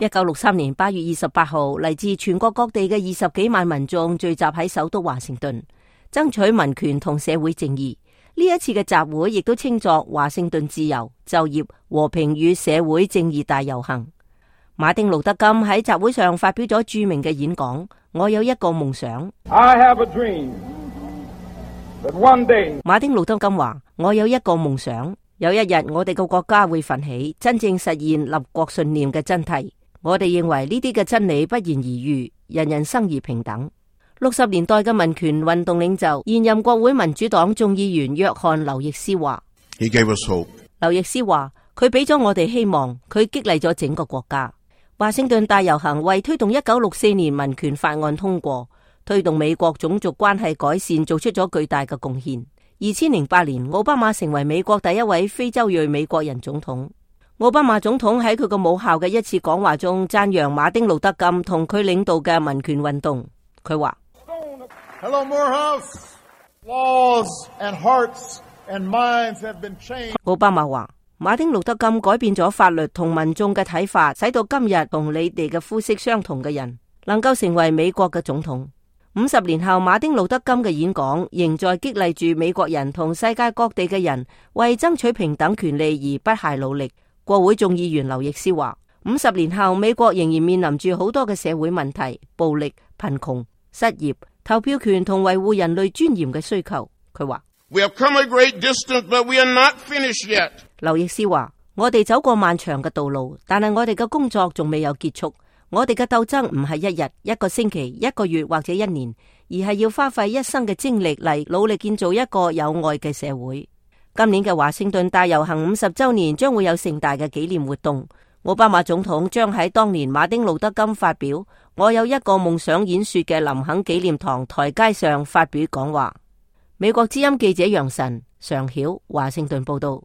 1963年8月28號，嚟自全國各地嘅20幾萬民眾聚集喺首都華盛頓，爭取民權同社會正義。呢一次嘅集會亦都稱作華盛頓自由、就業、和平與社會正義大遊行。馬丁路德金喺集會上發表咗著名嘅演講：我有一個夢想。I have a dream that one day， 馬丁路德金話：我有一個夢想，有一日我哋個國家會奮起，真正實現立國信念嘅真諦。我哋認為呢啲嘅真理不言而喻，人人生而平等。60年代嘅民權運動領袖、現任國會民主黨眾議員約翰劉易斯話： He gave us hope。劉易斯話：佢俾咗我哋希望，佢激勵咗整個國家。華盛頓大遊行為推動1964年民權法案通過，推動美國種族關係改善做出咗巨大嘅貢獻。2008年，奧巴馬成為美國第一位非洲裔美國人總統。奧巴馬總統喺佢個母校嘅一次講話中讚揚馬丁路德金同佢領導嘅民權運動。佢話Hello, Morehouse. Laws and hearts and minds have been changed. 奧巴馬話馬丁路德金改變咗法律同民眾嘅睇法，使到今日同你哋嘅膚色相同嘅人能夠成為美國嘅總統。50年後，馬丁路德金嘅演講仍在激勵住美國人同世界各地嘅人為爭取平等權利而不懈努力。國會眾議員劉易斯話：50年後，美國仍然面臨住好多嘅社會問題，暴力、貧窮、失業、投票權同維護人類尊嚴嘅需求。佢話We have come a great distance, but we are not finished yet. 劉易斯話：我哋走過漫長嘅道路，但係我哋嘅工作仲未有結束。我哋嘅鬥爭唔係一日、一個星期、一個月或者一年，而係要花費一生嘅精力嚟努力建造一個有愛嘅社會。今年嘅華盛頓大遊行50週年將會有盛大嘅紀念活動。奧巴馬總統將喺當年馬丁路德金發表我有一個夢想演說嘅林肯紀念堂台階上發表講話。美國之音記者楊晨、常曉華盛頓報道。